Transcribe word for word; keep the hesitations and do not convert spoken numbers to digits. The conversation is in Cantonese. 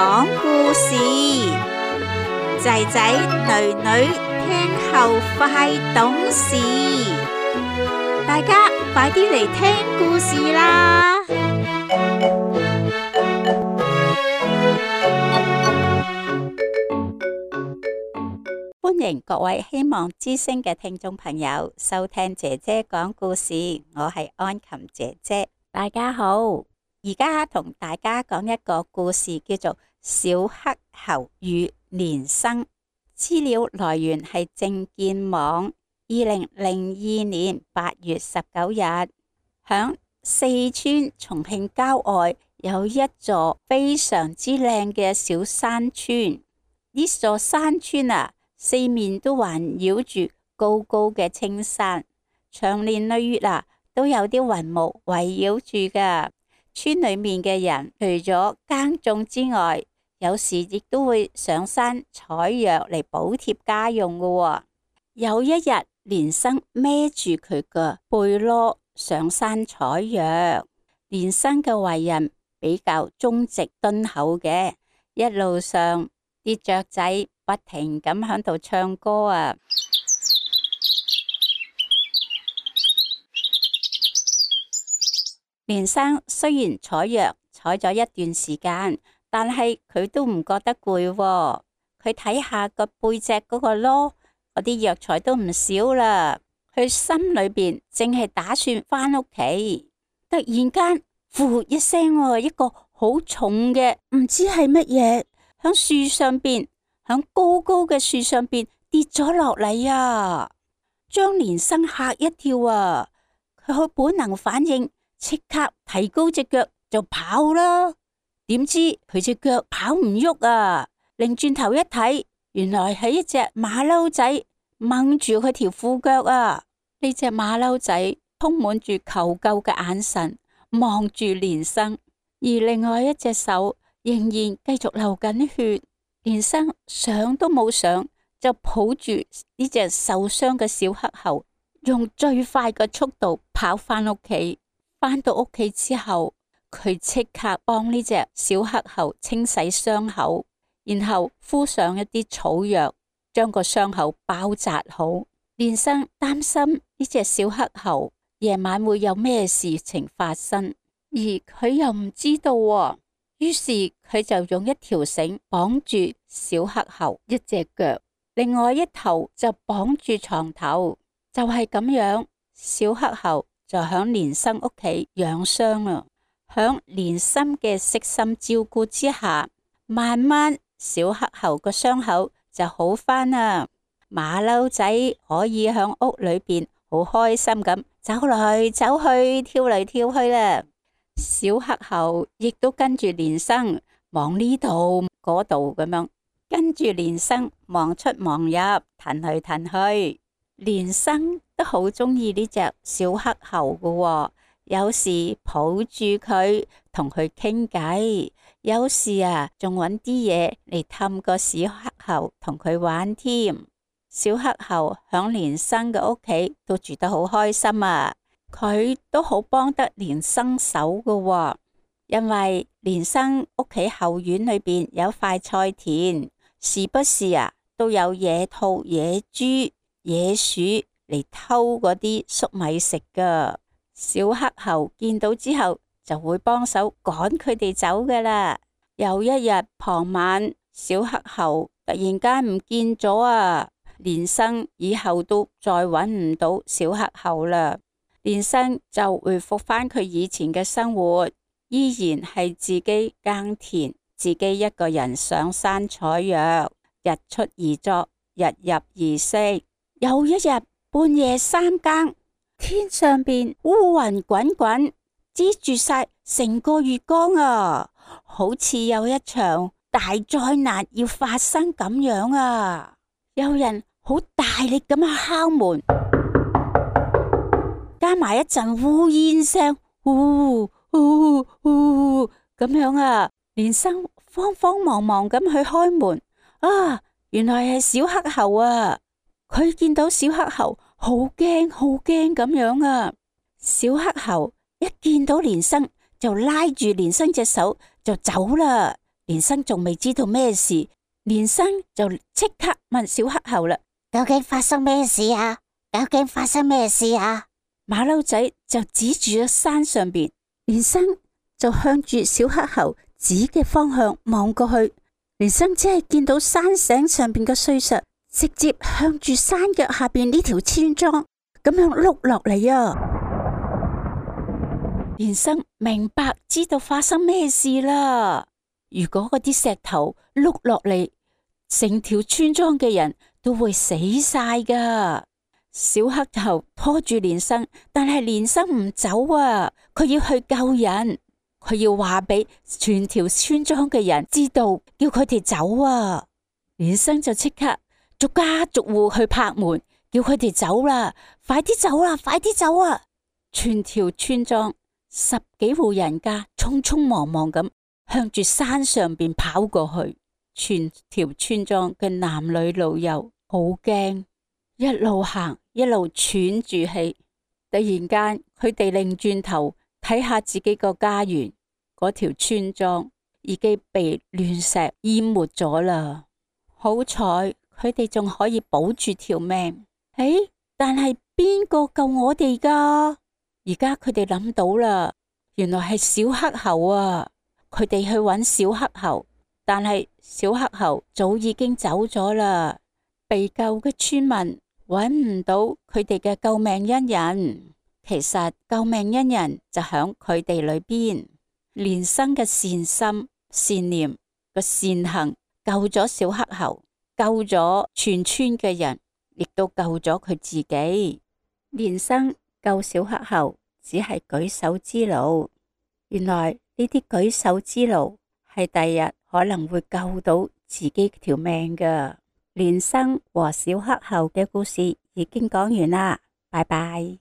講故事，仔仔女女聽後快懂事，大家快啲嚟聽故事啦！歡迎各位希望之聲嘅聽眾朋友收聽姐姐講故事，我係安琴姐姐，大家好。而家同大家講一個故事，叫做《小黑猴與連生》。資料來源係正見網，二零零二年八月十九日，響四川重慶郊外有一座非常之靚嘅小山村。呢座山村啊，四面都環繞住高高嘅青山，長年累月啊都有啲雲霧圍繞住噶。村裏面嘅人除咗耕種之外，有時亦都會上山採藥嚟補貼家用噶喎。有一日，連生孭住佢個背箩上山採藥。連生嘅為人比較忠直敦厚嘅，一路上啲雀仔不停咁喺度唱歌啊。連生雖然採藥採咗一段時間，但係佢都唔覺得攰喎。佢睇下個背脊嗰個箩，嗰啲藥材都唔少啦。佢心裏邊淨係打算返屋企，突然間，呼一聲，一個好重嘅唔知係乜嘢，響樹上邊，響高高嘅樹上邊跌咗落嚟啊！將連生嚇一跳啊！佢好本能反應。即刻提高隻腳就跑啦，點知佢隻腳跑唔喐啊！擰轉頭一睇，原來係一隻馬騮仔掹住佢條褲腳啊！呢隻馬騮仔充滿住求救嘅眼神，望住連生，而另外一隻手仍然繼續流緊血。連生想都冇想，就抱住呢隻受傷嘅小黑猴，用最快嘅速度跑返屋企。返到屋企之後，佢即刻幫呢隻小黑猴清洗傷口，然後敷上一啲草藥，將個傷口包紮好。連生擔心呢隻小黑猴夜晚會有咩事情發生，而佢又唔知道喎。於是佢就用一條繩綁住小黑猴一隻腳，另外一頭就綁住床頭。就係咁樣，小黑猴就響連生屋企養傷啦。響連生嘅悉心照顧之下，慢慢小黑猴個傷口就好返啦。馬騮仔可以響屋裏邊好開心咁走來走去，跳嚟跳去啦。小黑猴亦都跟住連生望呢度嗰度咁樣，跟住連生望出望入，騰去騰去。連生都好中意呢隻小黑猴噶喎，有時抱住佢同佢傾偈，有時啊仲揾啲嘢嚟氹個小黑猴同佢玩添。小黑猴響連生嘅屋企都住得好開心啊，佢都好幫得連生手噶喎，因為連生屋企後院裏邊有塊菜田，時不時啊都有野兔、野豬、野鼠嚟偷嗰啲粟米食噶。小黑猴見到之後就會幫手趕佢哋走噶啦。有一日傍晚，小黑猴突然間唔見咗啊！連生以後都再搵唔到小黑猴啦。連生就回復翻佢以前嘅生活，依然係自己耕田，自己一個人上山採藥，日出而作，日入而息。有一日半夜三更，天上邊烏雲滾滾，遮住晒成個月光啊，好似有一場大災難要發生咁樣啊！有人好大力咁樣敲門，加埋一陣烏煙聲，嗚嗚嗚咁樣啊！連生慌慌忙忙咁去開門，啊，原來係小黑猴啊！佢見到小黑猴，好驚好驚咁樣啊！小黑猴一見到連生就拉住連生隻手就走啦，連生仲未知道咩事，連生就即刻問小黑猴啦：究竟發生咩事啊？究竟發生咩事啊？馬騮仔就指住咗山上邊，連生就向住小黑猴指嘅方向望過去，連生只係見到山頂上邊嘅碎石直接向住山腳下邊呢條村莊咁樣碌落嚟啊！連生明白知道發生咩事啦。如果嗰啲石頭碌落嚟，成條村莊嘅人都會死晒噶。小黑猴拖住連生，但係連生唔走啊！佢要去救人，佢要話俾全條村莊嘅人知道，叫佢哋走啊！連生就即刻逐家逐戶去拍門，叫佢哋走啦，快啲走啦，快啲走啊！全條村莊十幾戶人家匆匆忙忙咁向住山上邊跑過去，全條村莊嘅男女老幼好驚，一路行一路喘住氣。突然間，佢哋擰轉頭睇下自己個家園，嗰條村莊已經被亂石淹沒咗啦。好彩佢哋仲可以保住條命。誒，但係邊個救我哋噶？而家佢哋諗到啦，原來係小黑猴啊！佢哋去揾小黑猴，但係小黑猴早已經走咗啦。被救嘅村民揾唔到佢哋嘅救命恩人，其實救命恩人就響佢哋裏邊。連生嘅善心、善念個善行救咗小黑猴，救咗全村嘅人，亦都救咗佢自己。連生救小黑猴只係舉手之勞，原來呢啲舉手之勞係第日可能會救到自己條命㗎。連生和小黑猴嘅故事已經講完啦，拜拜。